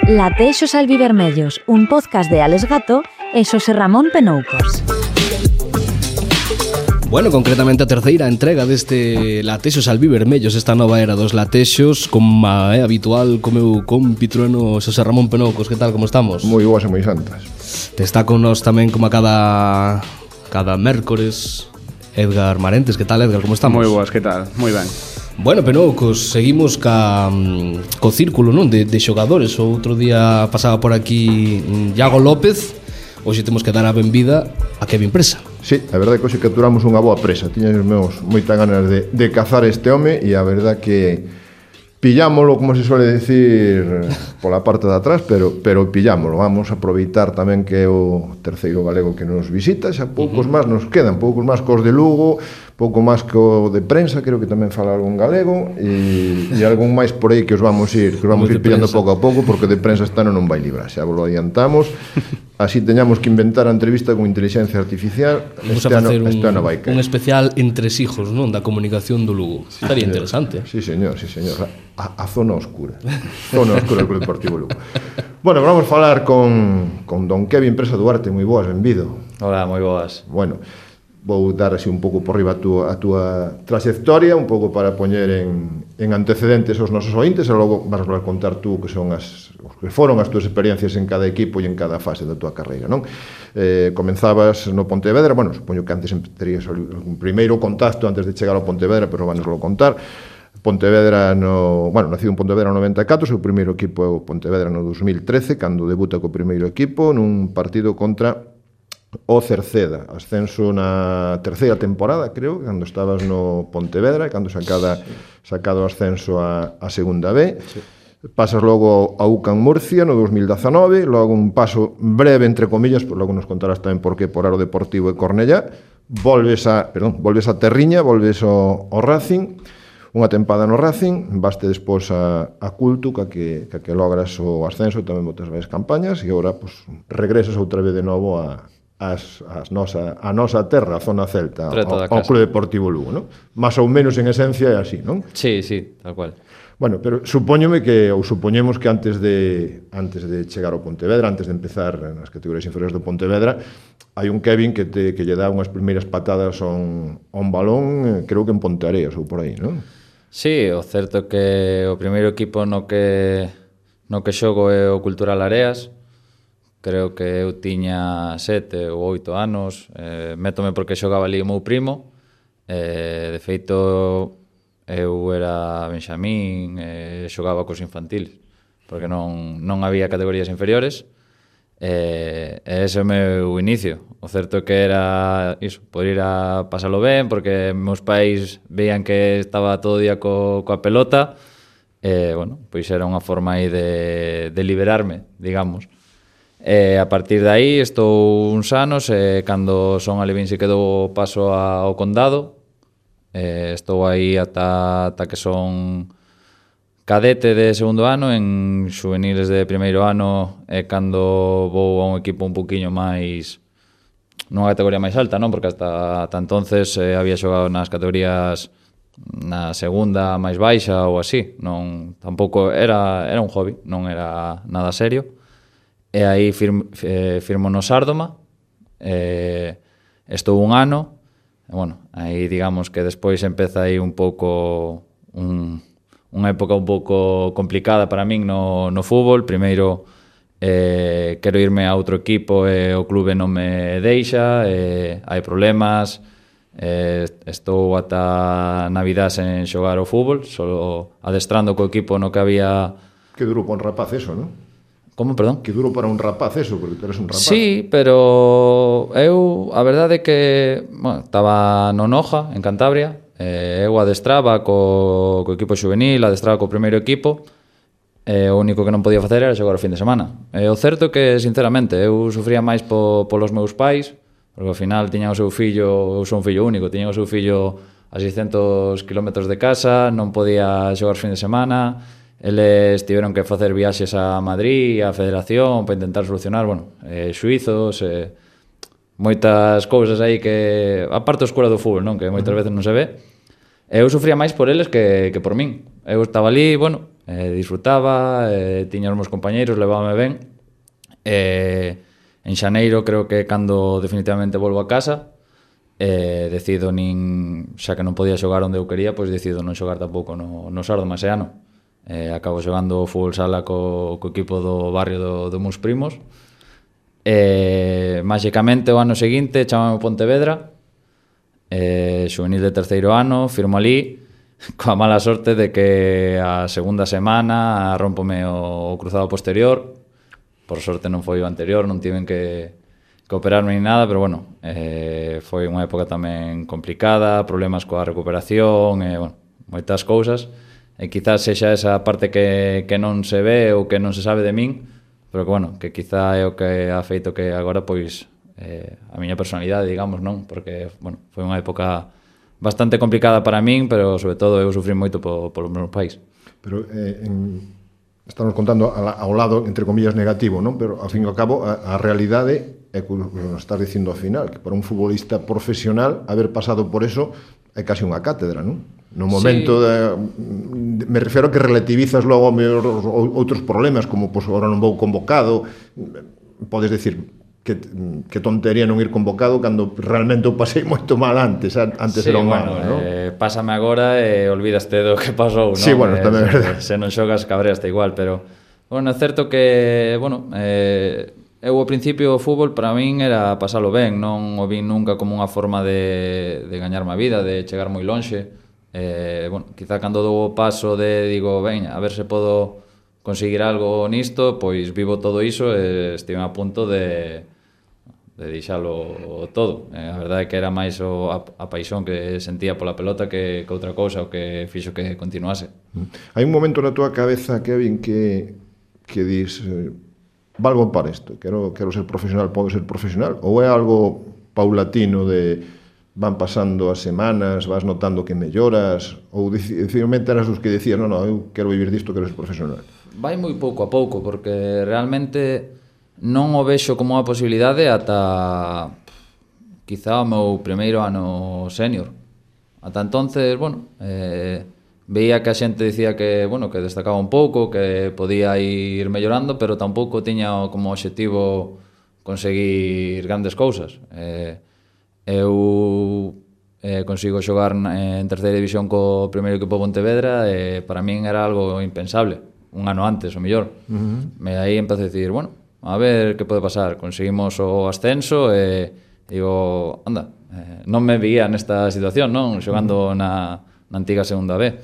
Latexos albivermellos, un podcast de Alex Gato e Xosé Ramón Penoucos. Bueno, concretamente a terceira entrega deste Latexos albivermellos, esta nova era dos latexos, como é habitual co meu compitrueno Xosé Ramón Penoucos. Que tal, como estamos? Moi boas e moi santas. Te está con nós tamén como a cada mércores Edgar Marentes. Que tal, Edgar, como estamos? Moi boas, que tal? Moi ben. Bueno, Penoucos, seguimos co círculo, non, de xogadores. O outro día pasaba por aquí Iago López. Hoxe temos que dar a benvida a Kevin Presa. Sí, a verdade que hoxe capturamos unha boa presa. Tiñan os meus moitas ganas de cazar este home, e a verdade que pillámolo, como se suele decir, pola parte de atrás, pero pillámolo. Vamos a aproveitar tamén que é o terceiro galego que nos visita. Xa poucos máis nos quedan, poucos máis cos de Lugo, pouco máis co de prensa, creo que tamén fala algún galego, e algún máis por aí que os vamos ir pillando pouco a pouco, porque de prensa esta non vai librar, xa vos lo adiantamos. Así teñamos que inventar a entrevista con inteligencia artificial. Vamos a facer un especial entresijos, non, da comunicación do Lugo. Estaría interesante. Sí, señor. A zona oscura. Zona oscura do Club Deportivo Lugo. Bueno, vamos a falar con don Kevin Presa Duarte. Moi boas, benvido. Hola, moi boas. Bueno, vou dar así un pouco por riba a túa trayectoria, un pouco para poñer en antecedentes aos nosos ointes, e logo vas a contar tú que son os que foron as túas experiencias en cada equipo e en cada fase da túa carreira, non? Comenzabas no Pontevedra, bueno, supoño que antes terías un primeiro contacto antes de chegar ao Pontevedra, pero vanoslo contar. Pontevedra nacido en Pontevedra no 94, o seu primeiro equipo é o Pontevedra no 2013, cando debuta co primeiro equipo nun partido contra o Cerceda, ascenso na terceira temporada, creo, cando estabas no Pontevedra, cando sacado o ascenso a segunda B. Sí. Pasas logo a UCAM Murcia no 2019, logo un paso breve, entre comillas, logo nos contarás tamén por que por Aro Deportivo e Cornellá. Volves a Terriña, volves ao Racing, unha tempada no Racing, vaste despois a Culto, que logras o ascenso, tamén botas varias campañas, e agora regresas outra vez de novo a nosa terra, a zona celta, ao Club Deportivo Lugo, non? Más ou menos en esencia é así, non? Sí, tal cual. Bueno, pero supoñemos que antes de chegar ao Pontevedra, antes de empezar nas categorías inferiores do Pontevedra, hai un Kevin que lle dá unhas primeiras patadas a un balón, creo que en Ponteareas ou por aí, non? Sí, o certo que o primeiro equipo no que xogo é o Cultural Areas. Creo que eu tiña 7 ou 8 anos, métome porque xogaba ali o meu primo, de feito eu era benxamín, xogaba cos infantiles, porque non había categorías inferiores, e ese é o meu inicio. O certo que era iso, poder ir a pasalo ben, porque meus pais veían que estaba todo o día coa pelota, e, bueno, pois era unha forma aí de liberarme, digamos. A partir de aí estou uns anos, cando son alevín se quedou paso ao Condado, estou aí ata que son cadete de segundo ano, en juveniles de primeiro ano é cando vou a un equipo un poquinho máis, nunha categoría máis alta, non? Porque hasta entonces había xogado nas categorías na segunda máis baixa ou así, non, tampouco era un hobby, non era nada serio. E aí firmo no Sárdoma, estou un ano, e, bueno, aí digamos que despois empeza aí un pouco unha época un pouco complicada para min no fútbol. Primeiro quero irme a outro equipo e o clube non me deixa, hai problemas, estou ata Navidad sen xogar o fútbol, só adestrando co equipo no que había. Que duro para un rapaz eso, non? Como, perdón? Que duro para un rapaz eso, porque tú eres un rapaz. Sí, pero eu, a verdade é que estaba no Noja, en Cantabria, eu adestraba co equipo juvenil, adestraba co primeiro equipo, o único que non podía facer era xogar o fin de semana. O certo é que, sinceramente, eu sufría máis polos meus pais, porque ao final tiñan o seu fillo, eu sou un fillo único, tiñan o seu fillo a 600 km de casa, non podía xogar o fin de semana. Eles tiveron que facer viaxes a Madrid, a Federación, para intentar solucionar, xuizos, moitas cousas aí que, aparte da escola do fútbol, non? Que moitas veces non se ve. Eu sufría máis por eles que por min. eu estaba ali, bueno, disfrutaba, tiña os meus compañeiros, levábame ben. En xaneiro creo que cando definitivamente volvo a casa, decido xa que non podía xogar onde eu quería, pois decido non xogar tampouco no Sardo máis ano. Acabo xogando fútbol sala co equipo do barrio dos meus primos. Máxicamente o ano seguinte chamame Pontevedra, xuvenil de terceiro ano, firmo ali coa mala sorte de que a segunda semana rómpome o cruzado posterior. Por sorte non foi o anterior, non tiven que operarme ni nada, pero bueno, foi unha época tamén complicada, problemas coa recuperación, bueno, moitas cousas, e quizás sexa esa parte que non se ve ou que non se sabe de min, pero que, bueno, que quizá é o que ha feito que agora, pois, a miña personalidade, digamos, non? Porque, bueno, foi unha época bastante complicada para min, pero, sobre todo, eu sufrí moito polos meus pais. Pero, estamos contando ao lado, entre comillas, negativo, non? Pero, ao fin e ao cabo, a realidade é que nos estás dicindo ao final, que para un futbolista profesional, haber pasado por eso é casi unha cátedra, non? No momento me refiro a que relativizas logo outros problemas, como, pois, agora non vou convocado, podes decir que tontería non ir convocado cando realmente o pasei moito mal antes era un malo, non? Pásame agora e olvidaste do que pasou, non? Sí, bueno, tamén é verdade. Se non xogas cabreaste igual, pero, bueno, é certo que, bueno, eu ao principio o fútbol para min era pasalo ben, non o vin nunca como unha forma de gañarme a vida, de chegar moi lonxe. Bueno, quizá cando dou o paso digo, ben, a ver se podo conseguir algo nisto, pois vivo todo iso e estive a punto de deixalo todo. A verdade é que era máis a paixón que sentía pola pelota que outra cousa, o que fixo que continuase. Hai un momento na túa cabeza, Kevin, que dis, valgo para isto, quero ser profesional, podo ser profesional, ou é algo paulatino de van pasando as semanas, vas notando que melloras, ou definitivamente eras os que decías, non, eu quero vivir disto, quero ser profesional? Vai moi pouco a pouco, porque realmente non o vexo como unha posibilidade ata quizá o meu primeiro ano senior. Ata entonces, bueno, veía que a xente dicía que, bueno, que destacaba un pouco, que podía ir mellorando, pero tampouco tiña como obxectivo conseguir grandes cousas. Eu consigo xogar en terceira división co primeiro equipo Pontevedra e para min era algo impensable, un ano antes, o mellor. E aí empecé a decir, bueno, a ver que pode pasar. Conseguimos o ascenso e digo, anda, non me veía nesta situación, non? Xogando na antiga segunda B.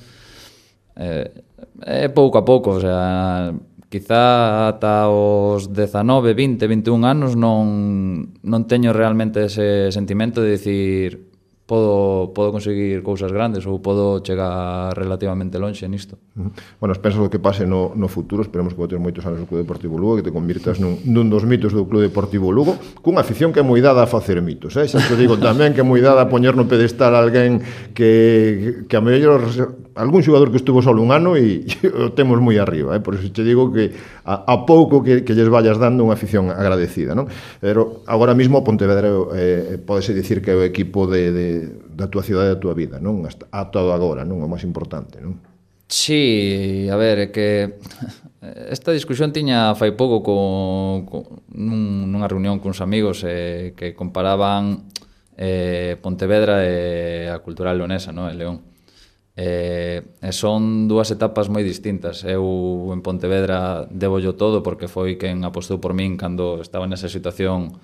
Pouco a pouco, o sea, quizá ata os 19, 20, 21 anos non teño realmente ese sentimento de dicir podo conseguir cousas grandes ou podo chegar relativamente lonxe nisto. Bueno, penso que pase no futuro, esperemos que botes moitos anos no Club Deportivo Lugo, que te convirtas nun dos mitos do Club Deportivo Lugo, cunha afición que é moi dada a facer mitos, xa te digo tamén que é moi dada a poñer no pedestal a alguén que a mellor algún xogador que estuvo solo un ano e o temos moi arriba, por iso te digo que a pouco que lles vayas dando unha afición agradecida, non? Pero agora mismo Pontevedra podese dicir que é o equipo da tua cidade e da tua vida, non? A todo agora, non? O máis importante, non? Sí, a ver, é que esta discusión tiña fai pouco nunha reunión cuns amigos que comparaban Pontevedra e a cultural leonesa, non? E León. Son dúas etapas moi distintas. Eu en Pontevedra debollo todo porque foi quen apostou por min cando estaba nesa situación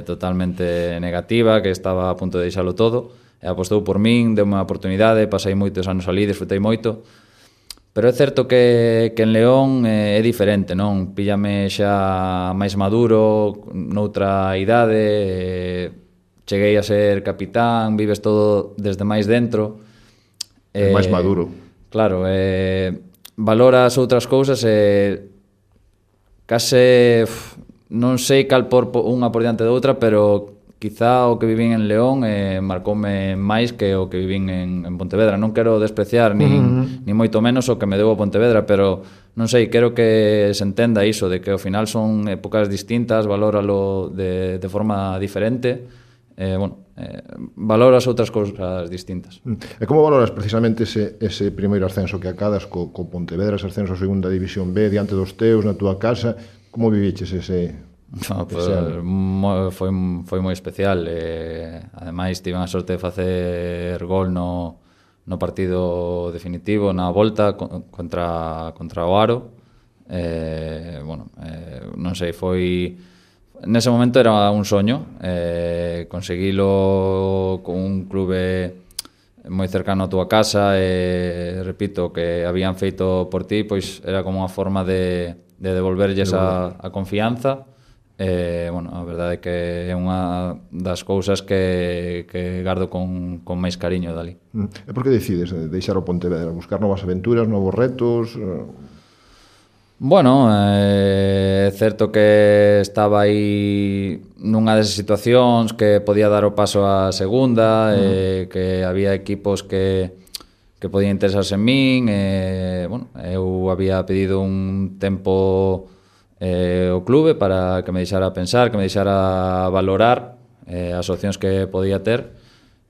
totalmente negativa, que estaba a punto de deixalo todo, e apostou por min, deu unha oportunidade, pasei moitos anos ali, disfrutei moito, pero é certo que en León é diferente, non? Píllame xa máis maduro, noutra idade, cheguei a ser capitán, vives todo desde máis dentro, máis maduro. Claro, valoras outras cousas e case non sei cal por unha por diante da outra, pero quizá o que vivín en León marcoume máis que o que vivín en Pontevedra. Non quero despreciar ni moito menos o que me deu a Pontevedra, pero non sei, quero que se entenda iso, de que ao final son épocas distintas, valóralo de forma diferente. valoras outras cousas distintas. E como valoras precisamente ese primeiro ascenso que acadas co Pontevedra, ese ascenso a segunda división B, diante dos teus, na túa casa? Como viviches ese... Foi moi especial. Ademais, tive a sorte de facer gol no partido definitivo, na volta contra o Aro. Non sei, foi... Nese momento era un soño, conseguilo con un clube moi cercano a túa casa, repito, que habían feito por ti, pois era como unha forma de devolverlles a confianza. A verdade é que é unha das cousas que gardo con máis cariño dali. E por que decides deixar o Pontevedra? Buscar novas aventuras, novos retos? É certo que estaba aí nunha desas situacións que podía dar o paso á segunda, que había equipos que podían interesarse en min. Eu había pedido un tempo o clube para que me deixara pensar, que me deixara valorar as opcións que podía ter.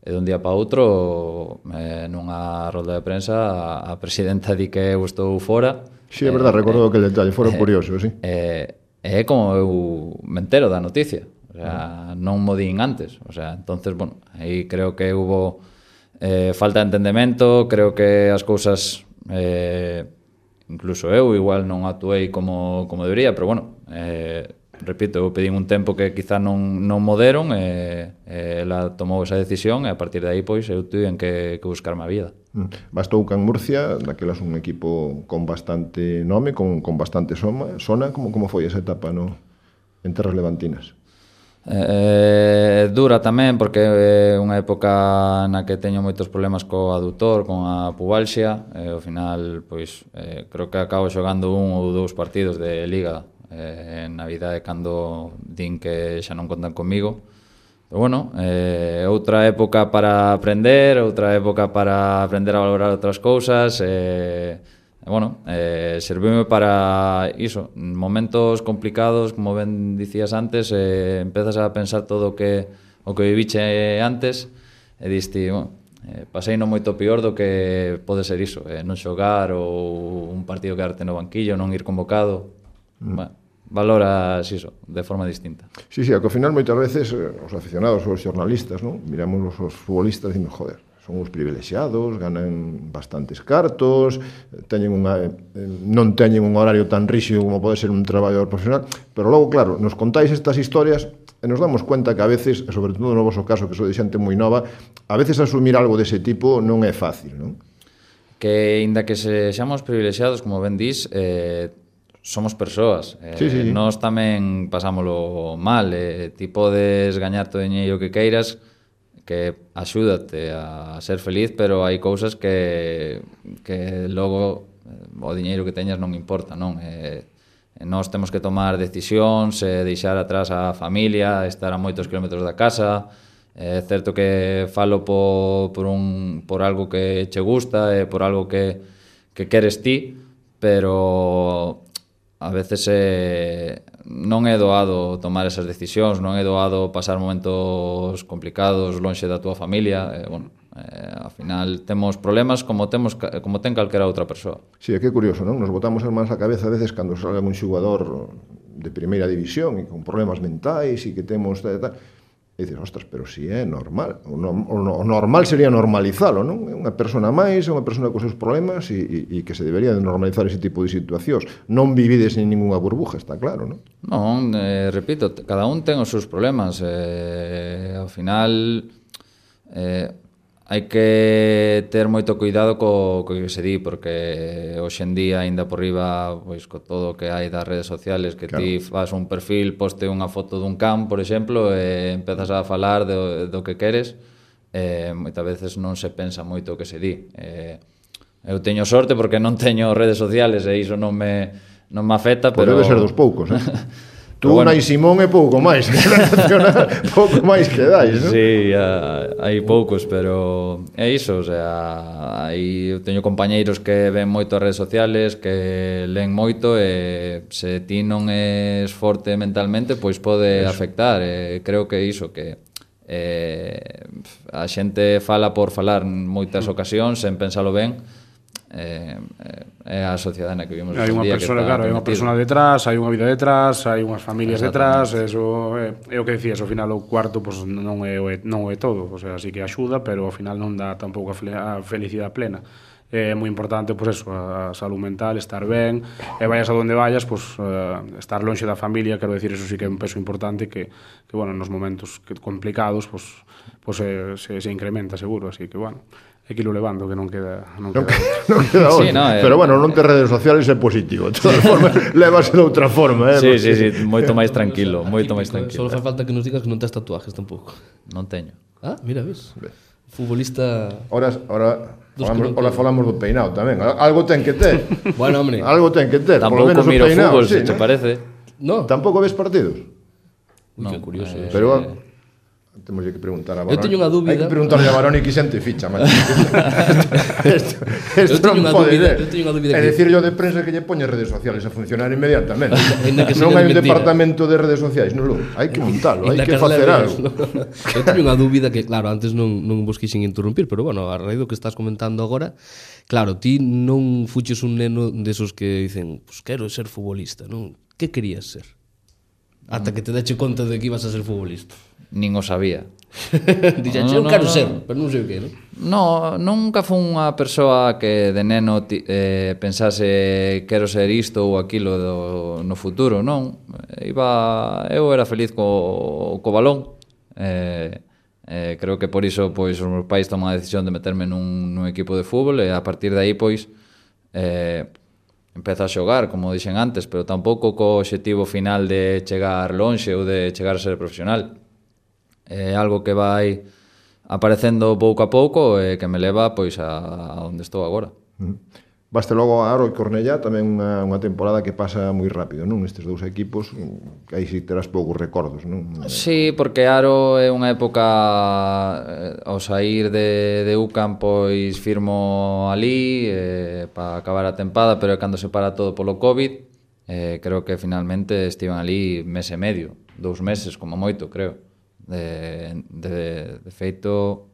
E dun día para outro, nunha rolda de prensa, a presidenta di que eu estou fora. Sí, é verdade, recordo aquele detalle, fora curioso, sí. É como eu me entero da noticia, o sea, non mo din antes, o sea, entonces, aí creo que hubo falta de entendemento, creo que as cousas, incluso eu igual non actuei como debería, pero repito, eu pedín un tempo que quizá non mo deron, ela tomou esa decisión e a partir de aí, pois, eu tuve que buscarme a vida. Bastou Can Murcia, daquelas un equipo con bastante nome, con bastante sona. Como foi esa etapa en terras levantinas? Dura tamén, porque é unha época na que teño moitos problemas co adutor, con a pubalxia, e ao final, pois, creo que acabo xogando 1 ou 2 partidos de Liga en Navidade cando din que xa non contan comigo. Pero outra época para aprender, outra época para aprender a valorar outras cousas, serviume para iso, momentos complicados, como ben dicías antes, empezas a pensar todo o que viviche antes e diste, pasei no moito peor do que pode ser iso, non xogar ou un partido quedarte no banquillo, non ir convocado. Valoras iso de forma distinta. Sí, que ao final moitas veces os aficionados, os xornalistas, miramos os futbolistas e dicimos, joder, son uns privilexiados, ganan bastantes cartos, non teñen un horario tan ríxido como pode ser un traballador profesional, pero logo, claro, nos contáis estas historias e nos damos cuenta que a veces, e sobre todo no vosso caso, que sou de xente moi nova, a veces asumir algo dese tipo non é fácil, non? Que, inda que sexamos privilexiados, como ben dís, somos persoas, sí. Nós tamén pasámolo mal, ti podes gañar todo o diñeiro que queiras, que axúdate a ser feliz, pero hai cousas que logo o diñeiro que teñas non importa, non? Nós temos que tomar decisións, deixar atrás a familia, estar a moitos kilómetros da casa. É certo que falo por algo que che gusta e por algo que queres ti, pero a veces non é doado tomar esas decisións, non é doado pasar momentos complicados lonxe da túa familia. Ao final temos problemas como ten calquera outra persoa. Sí, é que é curioso, non? Nos botamos as mans á cabeza a veces cando salga un xogador de primeira división e con problemas mentais e que temos e dices, ostras, pero si é normal. O normal sería normalizalo, non? É unha persona máis, é unha persona con seus problemas e que se debería de normalizar ese tipo de situacións. Non vivides en ninguna burbuja, está claro, non? Non, repito, cada un ten os seus problemas. Ao final, hai que ter moito cuidado co que se di, porque hoxe en día, ainda por riba, pois co todo o que hai das redes sociales, que claro, ti faz un perfil, poste unha foto dun can, por exemplo, e empezas a falar do que queres, moitas veces non se pensa moito o que se di. Eu teño sorte porque non teño redes sociales e iso non me afecta, pero... Debe ser dos poucos, Tú, Nai Simón, é pouco máis. Pouco máis que dais, non? Sí, hai poucos, pero é iso, o sea, eu teño compañeiros que ven moito as redes sociales, que len moito, e se ti non és forte mentalmente, pois pode afectar. Creo que é iso, que A xente fala por falar moitas ocasións sen pensalo ben. É a sociedade na que vivimos hai unha persona, claro, hai unha persona detrás, hai unha vida detrás, hai unhas familias detrás, eso é o que decías, ao final o cuarto pues, non é todo, o sea, sí que axuda, pero ao final non dá tampouco a felicidade plena. É moi importante, pues eso, a salud mental, estar ben, e vayas a donde vayas, pues estar lonxe da familia, quero decir, eso sí que é un peso importante que bueno, nos momentos complicados, pues se incrementa seguro, así que bueno, hai que irlo levando, que non queda non queda outra. Sí, no, pero bueno, non te redes sociales é positivo, de todas formas, levase de outra forma, Sí, moito máis tranquilo, moito máis tranquilo. Só fai falta que nos digas que non tes tatuajes tampouco. Non teño. Ah, mira, ves. Futbolista... Ahora falamos do peinado tamén. Algo ten que ter. Bueno, hombre. Algo ten que ter. Tampouco miro fútbol, se te parece. No. Tampouco ves partidos. Uy, que curioso. Pero temos que preguntar a Baroni. Eu teño unha dúbida. Hai que preguntarle a Baroni que xente ficha, macho. Isto non pode ser. Eu teño unha dúbida. É dicir yo de prensa que lle poñe redes sociales a funcionar inmediatamente. Non hai un departamento de redes sociais, non, hai que montalo, hai que facer algo. Eu teño unha dúbida que, claro, antes non vos quixen interrumpir, pero bueno, a raíz do que estás comentando agora, claro, ti non fuches un neno desos que dicen, pues quero ser futbolista, non? Que querías ser? Ata que te dache conta de que ibas a ser futbolista. Nin o sabía. Dixen, eu quero ser, pero non sei o que, non? No, nunca fui unha persoa que de neno pensase quero ser isto ou aquilo no futuro, non. Eu era feliz co balón. Creo que por iso pois, os meus pais toman a decisión de meterme nun equipo de fútbol e a partir de aí pois empeza a xogar, como dixen antes, pero tampouco co obxectivo final de chegar lonxe ou de chegar a ser profesional. É algo que vai aparecendo pouco a pouco e que me leva pois a onde estou agora. Vaste logo a Aro e Cornellá, tamén unha temporada que pasa moi rápido, non? Estes dous equipos, que aí si terás poucos recordos, non? Sí, porque Aro é unha época ao sair de UCAM pois firmo ali para acabar a tempada, pero cando se para todo polo COVID, creo que finalmente estiven ali mes e medio, 2 meses como moito, creo. De feito,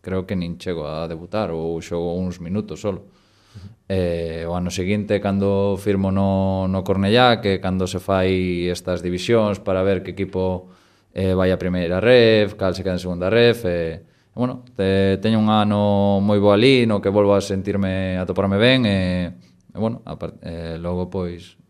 creo que nin chego a debutar ou xogo uns minutos solo. O ano seguinte, cando firmo no Cornellá, que cando se fai estas divisións para ver que equipo vai a primeira ref, cal se queda en segunda ref, bueno, teño un ano moi bo ali, no que volvo a sentirme, a toparme ben, bueno, logo, pois,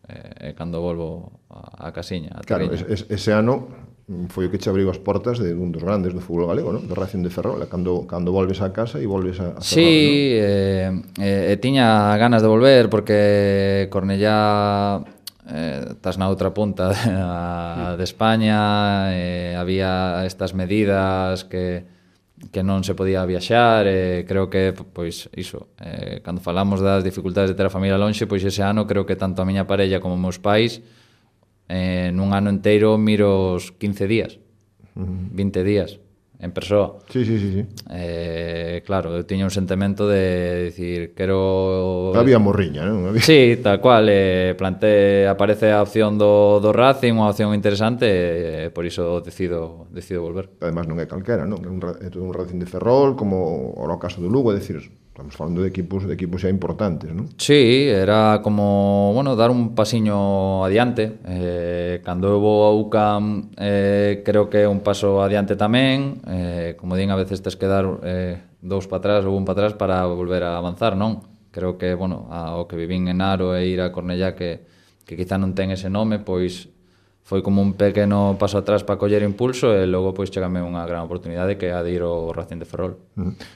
cando volvo a casiña, a Claro, ese ano foi o que che abriu as portas de un dos grandes do fútbol galego, non? Do Racing de Ferrol, cando volves a casa e volves a Ferrol, sí, non? Tiña ganas de volver porque Cornellá estás na outra punta de España, había estas medidas que non se podía viaxar, creo que, pois, iso, cando falamos das dificultades de ter a familia lonxe, pois ese ano creo que tanto a miña parella como meus pais nun ano inteiro miro os 15 días, 20 días en persoa. Sí. Claro, eu tiña un sentimento de dicir, quero... Había morriña, non? Sí, tal cual, aparece a opción do Racing, unha opción interesante, por iso decido volver. Además non é calquera, non? É todo un Racing de Ferrol, como o caso do Lugo, é dicir, estamos falando de equipos xa importantes, non? Sí, era como, bueno, dar un pasiño adiante. Cando eu vou a UCAM, creo que é un paso adiante tamén. Como din, a veces tes que dar 2 para atrás ou 1 para atrás para volver a avanzar, non? Creo que, bueno, o que vivín en Aro e ir a Cornellá, que quizá non ten ese nome, pois foi como un pequeno paso atrás para coller impulso e logo pois chegame unha gran oportunidade que é a de ir ao Racing de Ferrol.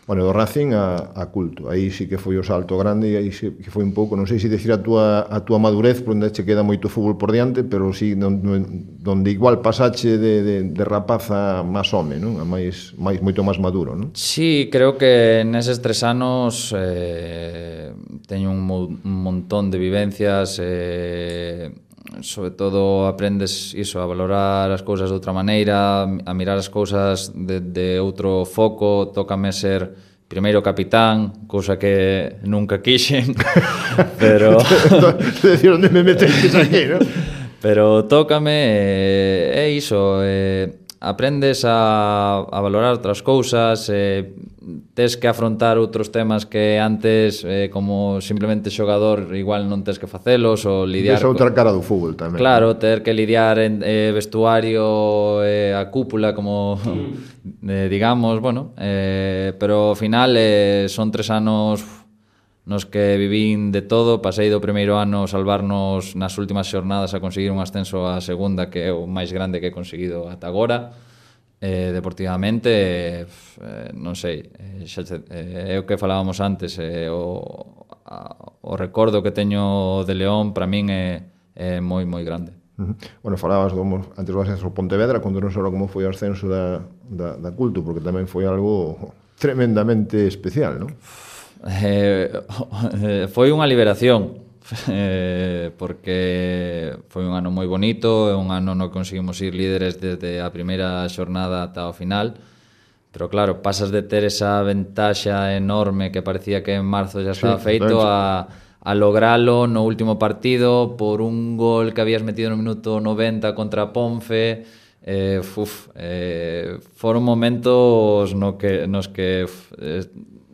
Bueno, do Racing a Culto, aí sí que foi o salto grande e aí sí que foi un pouco, non sei se decir a túa madurez, por onde che queda moito fútbol por diante, pero sí donde igual pasache de rapaz a máis home, non? A moito máis maduro, non? Sí, creo que neses 3 anos teño un montón de vivencias, sobre todo aprendes iso, a valorar as cousas de outra maneira, a mirar as cousas de outro foco. Tócame ser primeiro capitán, cousa que nunca quixen, pero decir onde me meteis aquí, non? Pero tócame, é iso, aprendes a valorar outras cousas, tes que afrontar outros temas que antes, como simplemente xogador, igual non tes que facelos, ou lidiar... Esa outra cara do fútbol tamén. Claro, ter que lidiar en vestuario, a cúpula, como digamos, bueno, pero ao final son 3 anos nos que vivín de todo. Pasei do primeiro ano salvarnos nas últimas xornadas a conseguir un ascenso á segunda, que é o máis grande que he conseguido ata agora. Deportivamente, non sei, é o que falábamos antes, o recordo que teño de León para min é moi, moi grande. Bueno, falabas antes do ascenso ao Pontevedra, cando non só como foi o ascenso da Culto, porque tamén foi algo tremendamente especial, non? Foi unha liberación, porque foi un ano moi bonito, é un ano no que conseguimos ir líderes desde a primeira xornada ata o final, pero claro, pasas de ter esa ventaxa enorme que parecía que en marzo já estaba feito a logralo no último partido por un gol que habías metido no minuto 90 contra Ponfe. Foron momentos nos que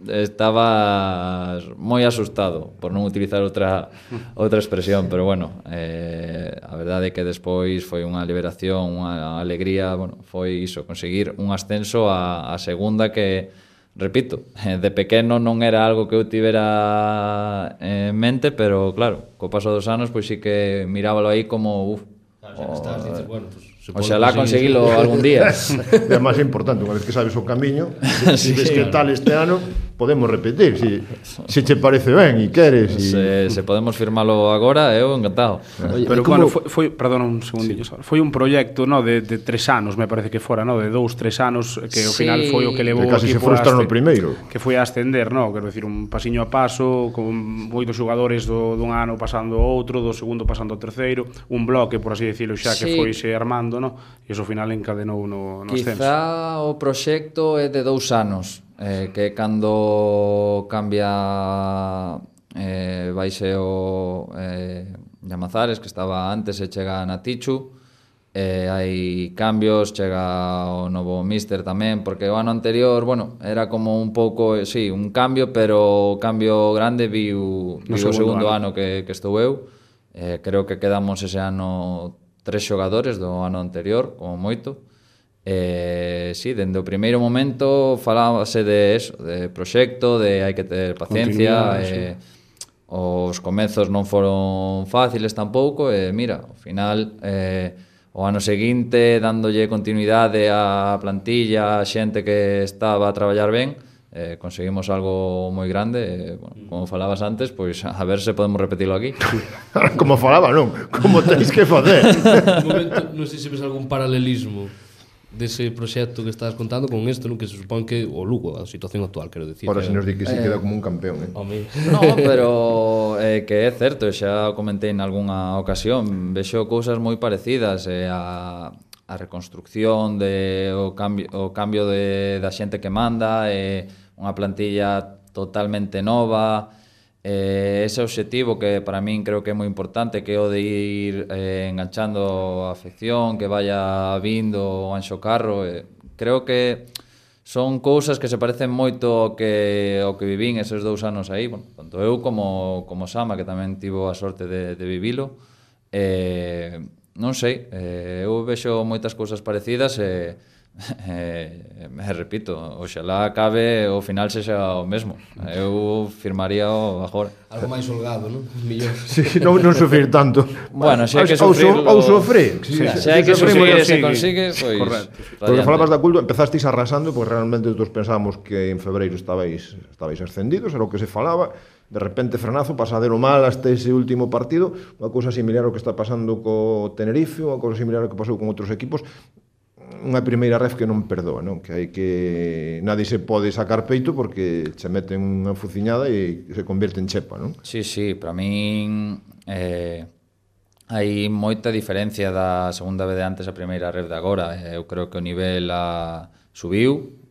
estaba moi asustado, por non utilizar outra expresión, pero bueno, a verdade é que despois foi unha liberación, unha alegría, bueno, foi iso, conseguir un ascenso a segunda que, repito, de pequeno non era algo que eu tivera en mente, pero claro, co paso dos anos, pois sí que mirábalo aí como, dices, bueno, pues, oxalá conseguilo algún día. É máis importante, unha vez que sabes o camiño, se ves que tal este ano, podemos repetir, se che parece ben e queres. Se podemos firmalo agora, eu encantado. Oye, pero bueno, foi perdona un segundillo, foi un proxecto, no, de 3 anos, me parece que fora, no, de 2-3 anos, que ao final foi o que levou casi se frustra no primeiro, que foi a ascender, no, quero decir, un pasiño a paso, con moitos xogadores dun ano pasando ao outro, do segundo pasando ao terceiro, un bloque, por así decirlo, xa que foi se armando, no, e iso ao final encadenou no ascenso. Quizá o proxecto é de 2 anos, que cando cambia vaise o Llamazares, que estaba antes, e chega na Tichu, hai cambios, chega o novo míster tamén, porque o ano anterior, bueno, era como un pouco, sí, un cambio, pero o cambio grande viu o segundo ano que estou eu. Creo que quedamos ese ano 3 xogadores do ano anterior, como moito. Sí, dende o primeiro momento falábase de eso, de proxecto, de hai que ter paciencia, os comezos non foron fáciles tampouco, e mira, ao final o ano seguinte, dándolle continuidade á plantilla, a xente que estaba a traballar ben, conseguimos algo moi grande, bueno, como falabas antes, pois a ver se podemos repetilo aquí. Como falaba, non? Como tenéis que facer. Un momento, non sei se ves algún paralelismo dese proxecto que estás contando con isto, non, que se supón que o Lugo, a situación actual, quero dicir. Ora, se nos di que si queda como un campeón, No, pero que é certo, xa o comentei en algunha ocasión, vexo cousas moi parecidas, a reconstrucción, o cambio da xente que manda, unha plantilla totalmente nova, ese obxectivo que para min creo que é moi importante, que é o de ir enganchando a afección, que vaya vindo o Anxo Carro, creo que son cousas que se parecen moito ao que vivín esos 2 anos aí, bueno, tanto eu como Sama, que tamén tivo a sorte de vivilo. Non sei, eu vexo moitas cousas parecidas e repito, oxalá acabe o final sexa o mesmo. Eu firmaría o agora. Algo máis holgado, non? Millón. Sí, non sufrir tanto. Bueno, se hai que sufrirlo... Ou sufrir. Se hai que sufrir e se consigue, pois... Correcto. Porque falabas da Culto, empezasteis arrasando, porque realmente todos pensábamos que en febreiro estabais ascendidos, era o que se falaba. De repente frenazo, pasadero mal hasta ese último partido, unha cousa similar ao que está pasando co Tenerife, unha cousa similar ao que pasou con outros equipos, unha primeira ref que non perdoa, non? Que hai que nadie se pode sacar peito porque che meten unha fuciñada e se convierte en chepa, non? Sí, para min hai moita diferencia da segunda vez de antes a primeira ref de agora. Eu creo que o nivel subiu.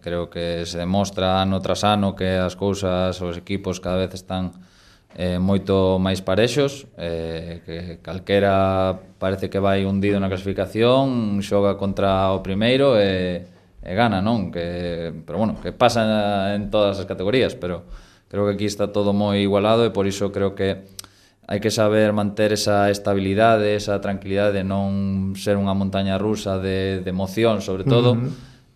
Creo que se demostra ano tras ano que as cousas, os equipos cada vez están moito máis parexos, que calquera parece que vai hundido na clasificación, xoga contra o primeiro e gana, non? Pero bueno, que pasa en todas as categorías, pero creo que aquí está todo moi igualado e por iso creo que hai que saber manter esa estabilidade, esa tranquilidade de non ser unha montaña rusa de emoción, sobre todo.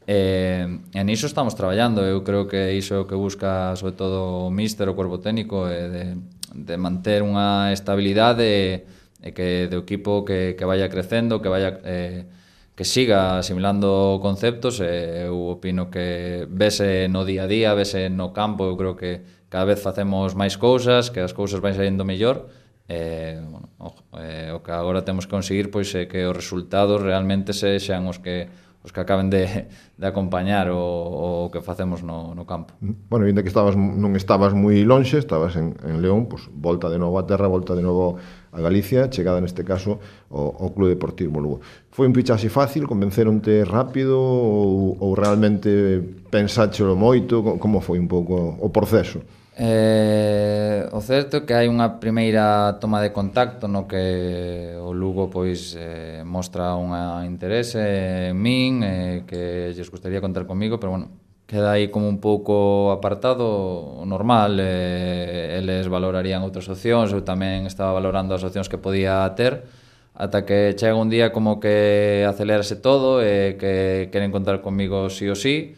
E niso estamos traballando. Eu creo que iso é o que busca sobre todo o míster, o cuerpo técnico, de manter unha estabilidade e que do equipo que vaya crecendo, que vaya que siga asimilando conceptos. Eu opino que vese no día a día, vese no campo. Eu creo que cada vez facemos máis cousas, que as cousas van saindo mellor. Bueno, o que agora temos que conseguir pois é que os resultados realmente sexan os que acaben de acompañar o que facemos no campo. Bueno, ainda que non estabas moi lonxe, estabas en León, pues, volta de novo a terra, volta de novo a Galicia, chegada neste caso ao Club Deportivo Lugo. Foi un fichaxe fácil, convenceronte rápido ou realmente pensáchelo moito? Como foi un pouco o proceso? O certo é que hai unha primeira toma de contacto no que o Lugo pois mostra unha interese en min, que lles gustaría contar comigo, pero bueno, queda aí como un pouco apartado, normal. Eles valorarían outras opcións, eu tamén estaba valorando as opcións que podía ter, ata que chega un día como que acelerase todo e que queren contar comigo sí ou sí.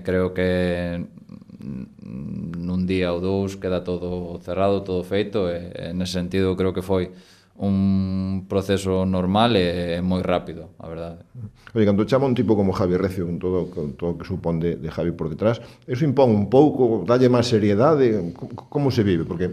Creo que nun día ou dous queda todo cerrado, todo feito, e nese sentido creo que foi un proceso normal e moi rápido, a verdade. Oye, cando chama un tipo como Javi Recio, con todo o que supón de Javi por detrás, eso impón un pouco, dalle máis seriedade? Como se vive? Porque,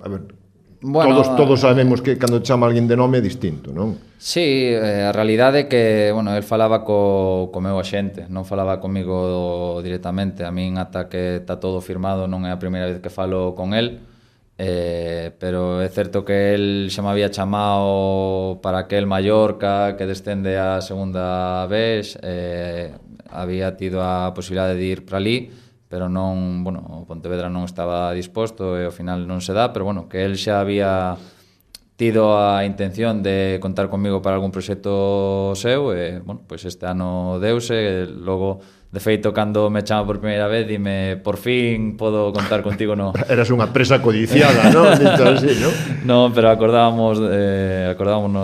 a ver, bueno, todos sabemos que cando chama alguén de nome é distinto, non? Sí, a realidade é que, bueno, el falaba co meu axente, non falaba comigo directamente. A min, ata que está todo firmado, non é a primeira vez que falo con el, pero é certo que el xa me había chamado para aquel Mallorca que descende a segunda vez, había tido a posibilidade de ir para ali, pero non, bueno, o Pontevedra non estaba disposto e ao final non se dá, pero bueno, que el xa había tido a intención de contar comigo para algún proxecto seu e, bueno, pois este ano deuse. Logo, de feito, cando me chama por primeira vez, dime, por fin podo contar contigo, no. Eras unha presa codiciada, non? Así, non? Non, pero acordámonos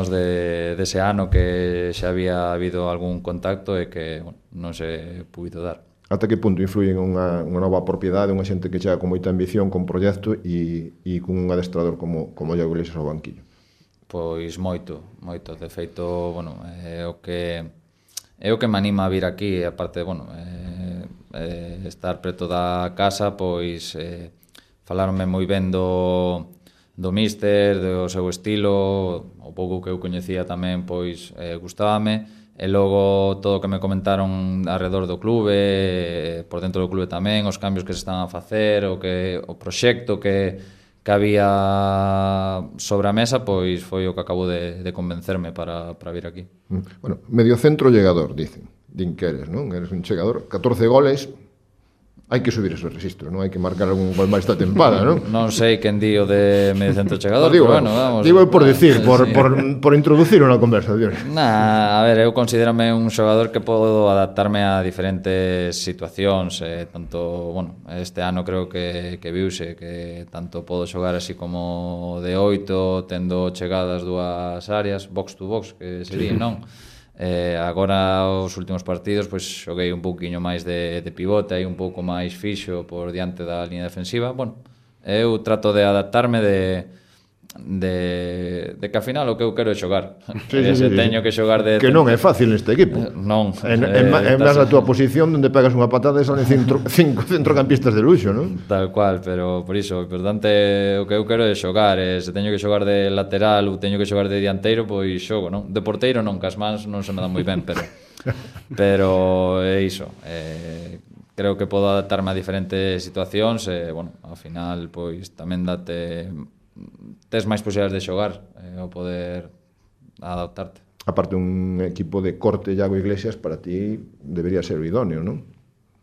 dese ano que xa había habido algún contacto e que, bueno, non se puido dar. Ata que punto influye unha nova propiedade, unha xente que chega con moita ambición, con proxecto e con un adestrador como Iago Iglesias ao banquillo? Pois moito. De feito, bueno, é o que me anima a vir aquí, aparte, bueno, estar preto da casa, pois falarme moi ben do míster, do seu estilo, o pouco que eu coñecía tamén, pois gustábame. E logo todo o que me comentaron alrededor do clube, por dentro do clube tamén, os cambios que se están a facer, o proxecto que había sobre a mesa, pois foi o que acabou de convencerme para vir aquí. Bueno, mediocentro llegador, din que eres, non? Eres un chegador, 14 goles. Hai que subir esos registros, non? Hai que marcar algún gol máis esta tempada, non? Non sei quen di o de mediocentro chegador, digo, pero bueno, vamos. Digo por decir, por introducir unha conversación. A ver, eu considérame un xogador que podo adaptarme a diferentes situacións, tanto, bueno, este ano creo que viuse que tanto podo xogar así como de 8, tendo chegadas dúas áreas, box to box, que sería, non? Agora os últimos partidos pois xoguei un pouquiño máis de pivote, aí un pouco máis fixo por diante da línea defensiva. Bueno, eu trato de adaptarme de que ao final o que eu quero é xogar. Se teño que xogar de... Que non é fácil neste equipo. Non. É máis a túa posición onde pegas unha patada e salen 5 centrocampistas de luxo, non? Tal cual, pero por iso, o importante o que eu quero é xogar. Se teño que xogar de lateral ou teño que xogar de dianteiro, pois xogo, non? De porteiro non, que as mans non se me dan moi ben, pero é iso. Creo que podo adaptarme a diferentes situacións e, bueno, ao final, pois tamén tes máis posibilidades de xogar ao poder adaptarte. Aparte, un equipo de corte Iago Iglesias para ti debería ser o idóneo, non?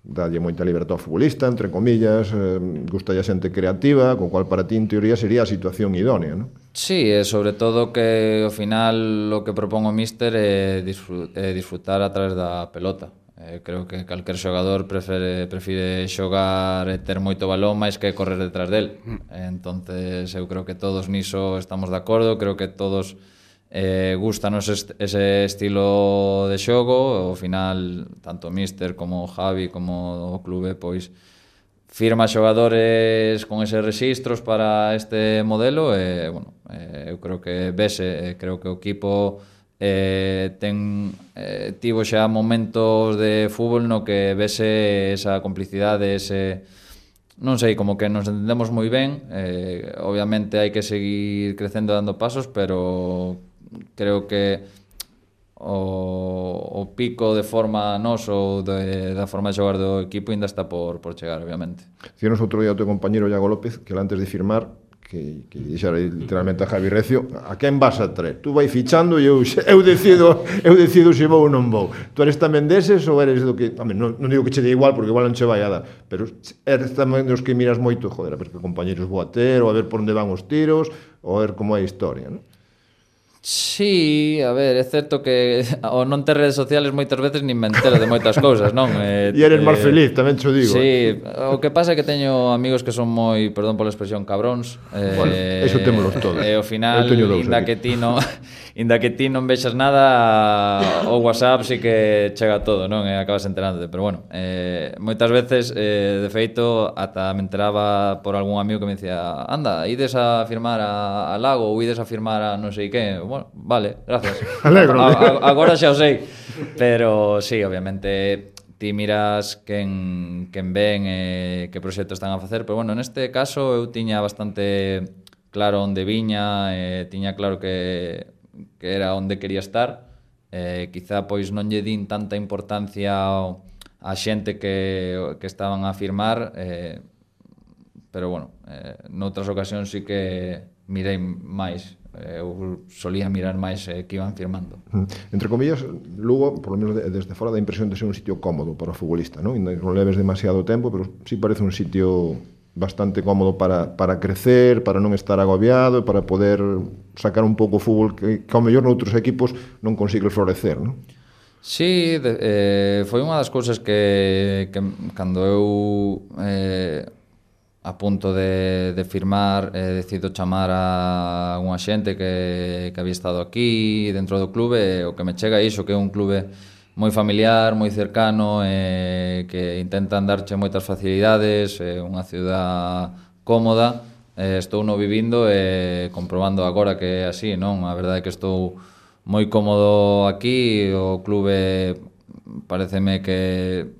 dalle moita libertad ao futbolista, entre comillas, gusta a xente creativa, co cual para ti, en teoría, sería a situación idónea, non? Sí, e sobre todo que ao final o que propón o míster é disfrutar a través da pelota. Creo que calquer xogador prefire xogar e ter moito balón máis que correr detrás del. Entonces eu creo que todos niso estamos de acordo, creo que todos gustanos ese estilo de xogo. Ao final, tanto o míster como o Javi como o clube pois firma xogadores con eses rexistros para este modelo e, bueno, eu creo que vese, creo que o equipo tivo xa momentos de fútbol no que vese esa complicidade, ese, non sei, como que nos entendemos moi ben. Obviamente hai que seguir crecendo dando pasos, pero creo que o pico de forma noso da forma de xogar do equipo ainda está por chegar, obviamente. Dicíanos outro día o teu compañero Iago López que antes de firmar que dixera literalmente a Javi Recio, a quen vas a traer? Tú vai fichando e eu decido se vou ou non vou. Tú eres tamén deses ou eres do que, non digo que che dé igual porque igual non che vai a dar, pero eres tamén dos que miras moito, joder, a ver que compañeros vou a ter, ou a ver por onde van os tiros, ou a ver como é a historia, non? Sí, a ver, é certo que ao non ter redes sociales moitas veces nin me entero de moitas cousas, non? E eres máis feliz, tamén cho digo. Sí, o que pasa é que teño amigos que son moi, perdón pola expresión, cabróns. Bueno, eso témolos todos. E ao final, inda que ti non vexas nada, o WhatsApp sí que chega todo, non? E acabas enterándote, pero bueno, moitas veces, de feito, ata me enteraba por algún amigo que me decía, anda, ides a firmar a Lago ou ides a firmar a non sei que. Bueno, vale, gracias. Alegro. Agora xa o sei. Pero sí, obviamente ti miras quen ven e que proxectos están a facer, pero bueno, neste caso eu tiña bastante claro onde viña, tiña claro que era onde quería estar. Quizá pois non lle din tanta importancia a xente que estaban a firmar, pero bueno, noutras ocasións sí que mirei máis. Eu solía mirar máis que iban firmando. Entre comillas, Lugo, por lo menos desde fora, dá impresión de ser un sitio cómodo para o futbolista, non? Non leves demasiado tempo, pero sí parece un sitio bastante cómodo para crecer, para non estar agobiado, para poder sacar un pouco o fútbol que ao mellor noutros equipos non consigue florecer, non? Sí, foi unha das cousas que cando eu a punto de firmar, decido chamar a unha xente que había estado aquí dentro do clube, o que me chega iso, que é un clube moi familiar, moi cercano, que intentan darche moitas facilidades, unha ciudad cómoda. Estou no vivindo e comprobando agora que é así, non? A verdade é que estou moi cómodo aquí, o clube pareceme que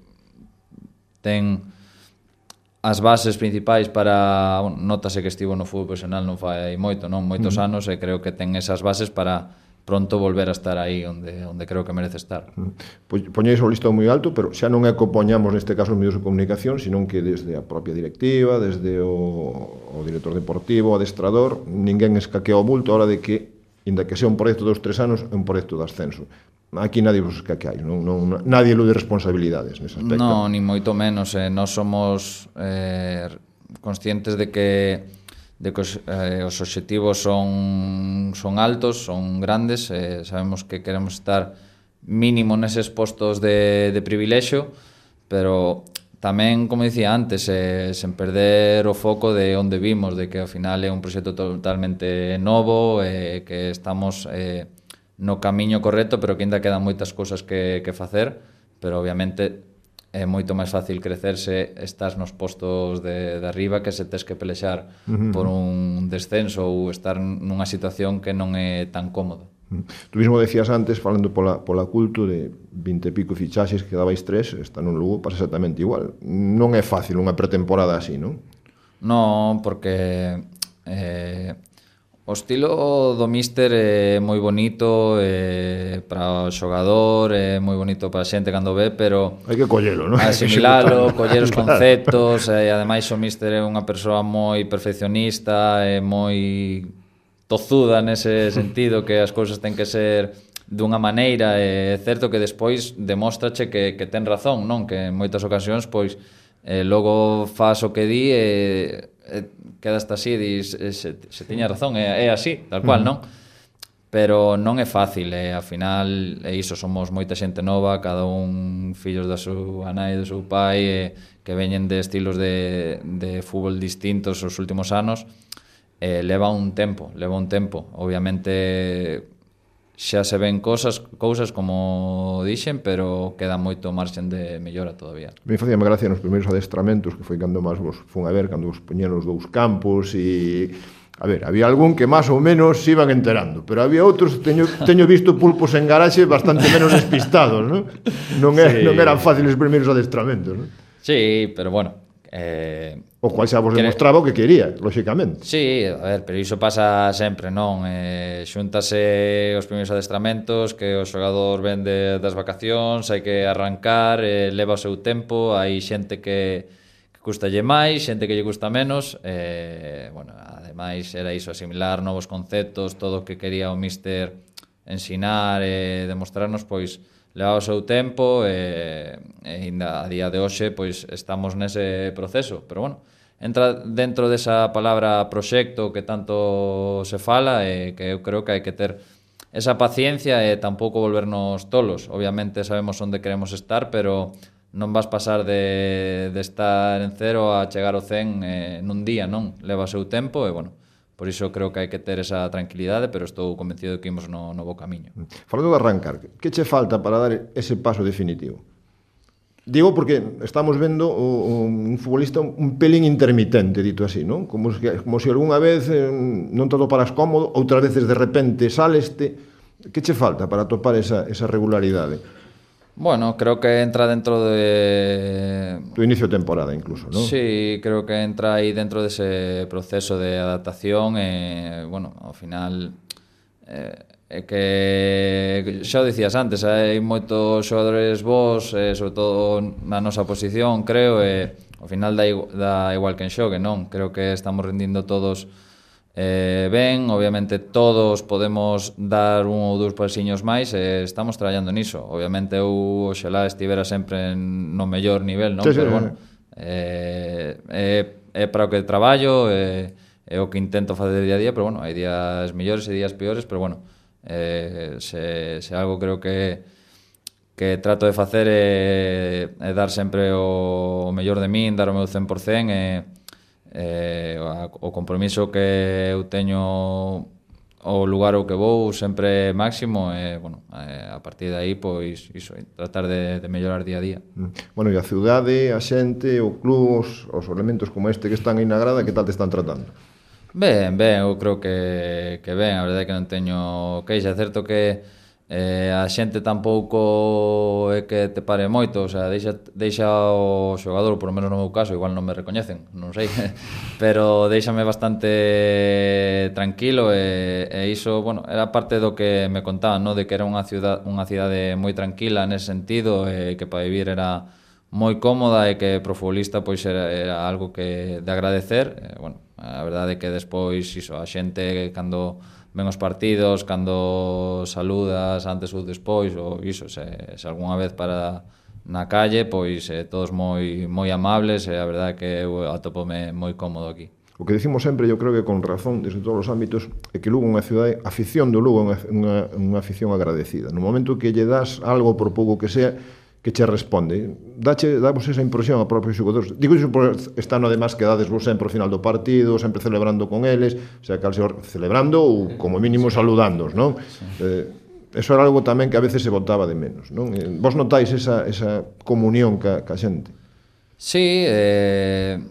ten as bases principais para, bueno, notase que estivo no fútbol profesional non fai moito, non? Moitos anos, e creo que ten esas bases para pronto volver a estar aí onde creo que merece estar. Poñéis o listón moi alto, pero xa non é que o poñamos neste caso os medios de comunicación, senón que desde a propia directiva, desde o director deportivo, o adestrador, ninguén escaquea o bulto a hora de que, inda que sea un proxecto de 2-3 anos, é un proxecto de ascenso. Aquí nadie vos escaqueais, nadie elude responsabilidades nese aspecto. Non, ni moito menos. Nós somos conscientes de que os obxectivos son altos, son grandes, sabemos que queremos estar mínimo neses postos de privilexio, pero tamén, como dicía antes, sen perder o foco de onde vimos, de que ao final é un proxecto totalmente novo, que estamos no camiño correcto, pero que ainda quedan moitas cousas que facer, pero obviamente é moito máis fácil crecerse estás nos postos de arriba que se tes que pelexar por un descenso ou estar nunha situación que non é tan cómoda. Tú mismo decías antes, falando pola culto de 20 e pico fichaxes que dabais 3, está nun Lugo pasa exactamente igual. Non é fácil unha pretemporada así, non? Non, porque o estilo do míster é moi bonito para o xogador, é moi bonito para a xente cando ve, pero hai que collelo, non? Asimilalo, coller os conceptos, e ademais o míster é unha persoa moi perfeccionista, é moi tozuda nese sentido, que as cousas ten que ser dunha maneira, é certo que despois demóstrache que ten razón, non? Que en moitas ocasións, pois, logo faz o que di e quedaste así e dis, se tiña razón, é así, tal cual, non? Pero non é fácil, ao final é iso, somos moita xente nova, cada un fillos da súa nai e do seu pai, que veñen de estilos de fútbol distintos os últimos anos, leva un tempo, obviamente xa se ven cousas como dixen, pero queda moito marxen de mellora todavía. Me facíame gracia nos primeiros adestramentos, que foi cando máis vos fun a ver, cando vos poñían os dous campos e... A ver, había algún que máis ou menos se iban enterando, pero había outros, teño visto pulpos en garaxe bastante menos despistados, non? Non eran fáciles os primeiros adestramentos, non? Sí, pero bueno... o cual xa vos demostraba o que quería, lóxicamente. Sí, a ver, pero iso pasa sempre, non? Xúntase os primeiros adestramentos, que o xogador ven das vacacións, hai que arrancar, leva o seu tempo, hai xente que custalle máis, xente que lle custa menos, bueno, ademais era iso, asimilar novos conceptos, todo o que quería o míster ensinar e demostrarnos, pois leva o seu tempo e ainda a día de hoxe pois estamos nese proceso, pero bueno, entra dentro desa palabra proxecto que tanto se fala e que eu creo que hai que ter esa paciencia e tampouco volvernos tolos. Obviamente sabemos onde queremos estar, pero non vas pasar de estar en 0 a chegar ao 100 nun día, non? Leva o seu tempo e, bueno, por iso creo que hai que ter esa tranquilidade, pero estou convencido de que imos no bo camiño. Falando de arrancar, que che falta para dar ese paso definitivo? Digo porque estamos vendo un futbolista un pelín intermitente, dito así, non? Como se algunha vez non te atoparas cómodo, outras veces de repente saleste. Que che falta para atopar esa regularidade? Bueno, creo que entra dentro de... Tu inicio de temporada, incluso, ¿no? Sí, creo que entra aí dentro dese proceso de adaptación e, bueno, ao final é que xa o dicías antes, hai moitos xogadores bons, sobre todo na nosa posición, creo, e ao final dá igual quen xogue, non? Creo que estamos rendindo todos ben, obviamente todos podemos dar un ou dous pasiños máis e estamos traballando niso. Obviamente eu oxalá estivera sempre no mellor nivel, non? Sí, pero bueno, é para o que traballo, é o que intento facer día a día, pero bueno, hai días mellores e días peores, pero bueno, se algo creo que trato de facer é dar sempre o mellor de min, dar o meu 100%, o compromiso que eu teño o lugar ao que vou sempre máximo e, bueno, a partir de aí, pois, iso, tratar de mellorar día a día. Bueno, e a ciudade, a xente, o club, os elementos como este que están aí na grada, que tal te están tratando? Ben, eu creo que ben, a verdade é que non teño queixa, é certo que a xente tampouco é que te pare moito, o sea, deixa o xogador, por lo menos no meu caso, igual non me recoñecen, non sei, pero deixame bastante tranquilo e iso, bueno, era parte do que me contaban, no? De que era unha cidade moi tranquila nese sentido, e que para vivir era moi cómoda e que pro futbolista pois era algo que de agradecer. Bueno, a verdade é que despois iso, a xente cando ven os partidos, cando saludas antes ou despois, ou iso, se algunha vez para na calle, pois todos moi amables, e a verdade é que eu atopome moi cómodo aquí. O que decimos sempre, eu creo que con razón, desde todos os ámbitos, é que Lugo é unha cidade, a afición do Lugo é unha afición agradecida. No momento que lle das algo, por pouco que sea, que che responde. Damos esa impresión a propios xogadores. Digo iso por estar no demás que dades vos sempre ao final do partido, sempre celebrando con eles, o sea, celebrando ou como mínimo saludándoos, non? Eso era algo tamén que a veces se botaba de menos, non? Vos notáis esa comunión ca xente? Sí, a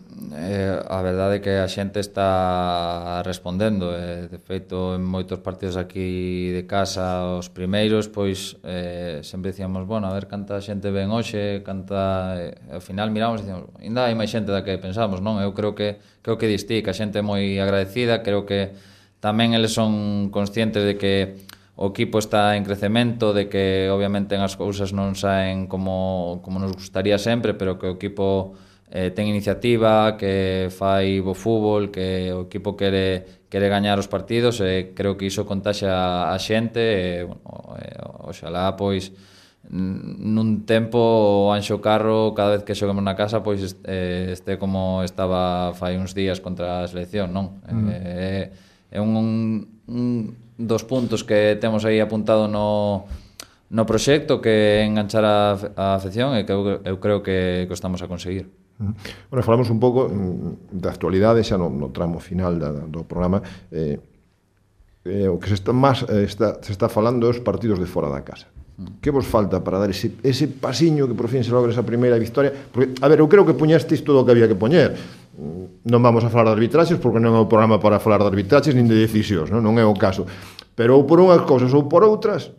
verdade é que a xente está respondendo, de feito en moitos partidos aquí de casa, os primeiros, pois sempre dicíamos, bueno, a ver canta xente ven hoxe, canta, ao final miramos e dicíamos, ainda hai máis xente da que pensamos, non? Eu creo que distí, que a xente é moi agradecida, creo que tamén eles son conscientes de que o equipo está en crecemento, de que obviamente as cousas non saen como nos gustaría sempre, pero que o equipo ten iniciativa, que fai bo fútbol, que o equipo quere gañar os partidos, e creo que iso contaxa a xente, e, bueno, oxalá, pois, nun tempo o Anxo Carro, cada vez que xoguemos na casa, pois este como estaba fai uns días contra a selección, non? É un dos puntos que temos aí apuntado no proxecto, que é enganchar a afección, e que eu creo que o estamos a conseguir. Bueno, falamos un pouco da actualidade xa no tramo final do programa. O que se está falando é os partidos de fora da casa. Que vos falta para dar ese pasiño que por fin se logra esa primeira victoria? Porque, a ver, eu creo que puñestes todo o que había que poñer. Non vamos a falar de arbitraxes, porque non é o programa para falar de arbitraxes nin de decisións, non é o caso. Pero ou por unhas cousas ou por outras,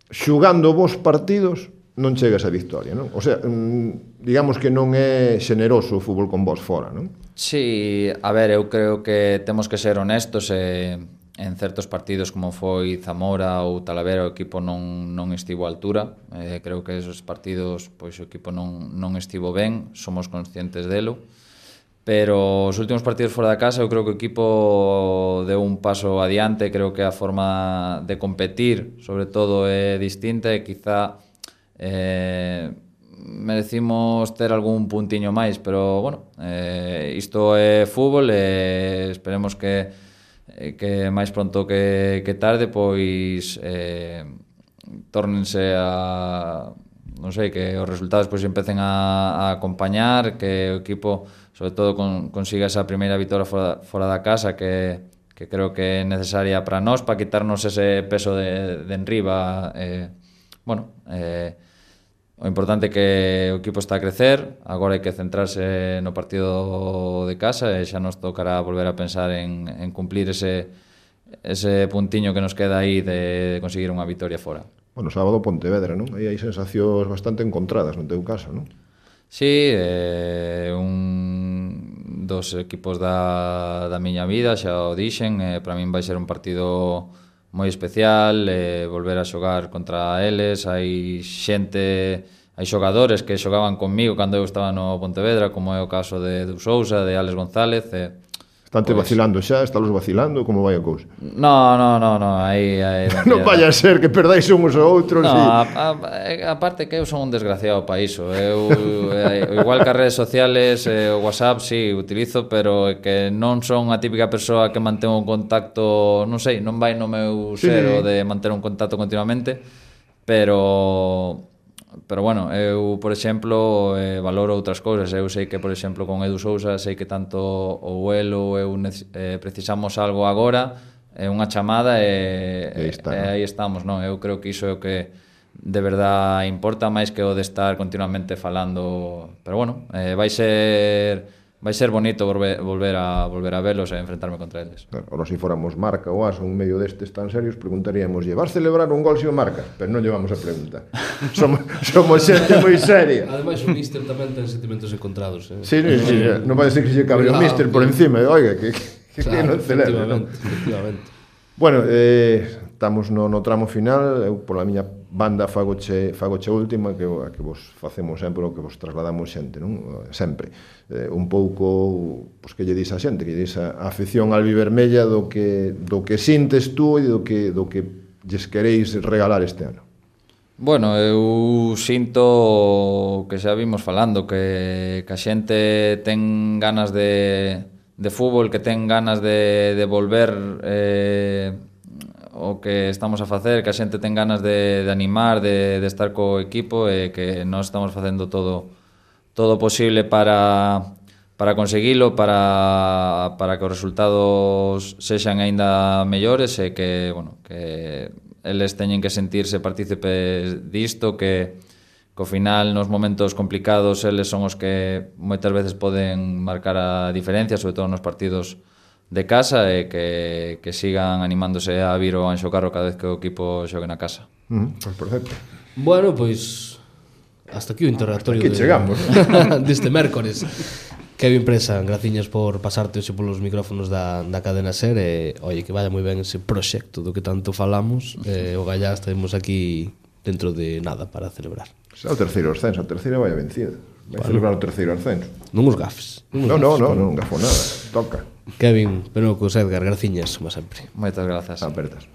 xugando vos partidos, non chega esa victoria, non? O sea, digamos que non é xeneroso o fútbol con vos fora, non? Sí, a ver, eu creo que temos que ser honestos, en certos partidos como foi Zamora ou Talavera o equipo non estivo á altura. Creo que esos partidos pois o equipo non estivo ben, somos conscientes delo, pero os últimos partidos fora da casa eu creo que o equipo deu un paso adiante. Creo que a forma de competir sobre todo é distinta, e quizá merecimos ter algún puntiño máis, pero bueno, isto é fútbol, e esperemos que máis pronto que tarde pois tórnense a, non sei, que os resultados pois empecen a acompañar, que o equipo sobre todo consiga esa primeira vitória fora da casa, que creo que é necesaria para nós, para quitarnos ese peso de enriba. O importante é que o equipo está a crecer, agora hai que centrarse no partido de casa, e xa nos tocará volver a pensar en cumplir ese puntiño que nos queda aí de conseguir unha victoria fora. Bueno, sábado Pontevedra, non? Aí hai sensacións bastante encontradas no teu caso, non? Sí, un dos equipos da miña vida, xa o dixen, para min vai ser un partido moi especial, volver a xogar contra eles. Hai xogadores que xogaban conmigo cando eu estaba no Pontevedra, como é o caso de Edu Sousa, de Alex González. Estante vacilando xa, estálos vacilando, como vai a cousa? No, aí non vaya a ser que perdáis uns ou outros. No, aparte que eu son un desgraciado para iso. Igual que as redes sociales, o WhatsApp, sí, utilizo, pero que non son a típica persoa que mantén un contacto, non sei, non vai no meu ser de manter un contacto continuamente, pero bueno, eu, por exemplo, valoro outras cousas. Eu sei que, por exemplo, con Edu Sousa, sei que tanto o eu precisamos algo agora, unha chamada, e aí estamos, non? Eu creo que iso é o que de verdade importa, máis que o de estar continuamente falando. Pero bueno, vai ser bonito volver a velos e enfrentarme contra eles. Ora, se fóramos Marca ou As, un medio destes tan serios, preguntaríamos: vas celebrar un gol se o marca? Pero non llevamos a pregunta. Somos xente moi seria. Ademais, o míster tamén ten sentimentos encontrados. Sí, non vai ser que se cabre o míster por encima. Oiga, que non celebra. Efectivamente. Bueno, estamos no tramo final. Eu, pola miña banda, fagoche última, que vos facemos sempre, o que vos trasladamos xente, non? Sempre. Un pouco, pois, que lle dis a xente, que lle dis a afección albivermella do que sintes tú e do que lles queréis regalar este ano. Bueno, eu sinto que xa vimos falando, que a xente ten ganas de fútbol, que ten ganas de volver o que estamos a facer, que a xente ten ganas de animar, de estar co equipo, e que nós estamos facendo todo posible para conseguilo, para que os resultados sexan aínda mellores, e que, bueno, que eles teñen que sentirse partícipes disto, que ao final nos momentos complicados eles son os que moitas veces poden marcar a diferencia, sobre todo nos partidos de casa, e que sigan animándose a vir ao Anxo Carro cada vez que o equipo xogue na casa. Pois perfecto. Bueno, pois hasta aquí o interrogatorio deste mércores. Kevin Presa, graciñas por pasarte hoxe polos micrófonos da Cadena SER, e oye, que vaya moi ben ese proxecto do que tanto falamos. O Gallá estaremos aquí dentro de nada para celebrar. Xa o terceiro ascenso, a terceira vai a vencida. Vai celebrar o terceiro ascenso. Non os gafes. Non gafo nada, toca. Kevin, Penocos, Edgar, graciñas, como sempre. Moitas grazas. Apertas.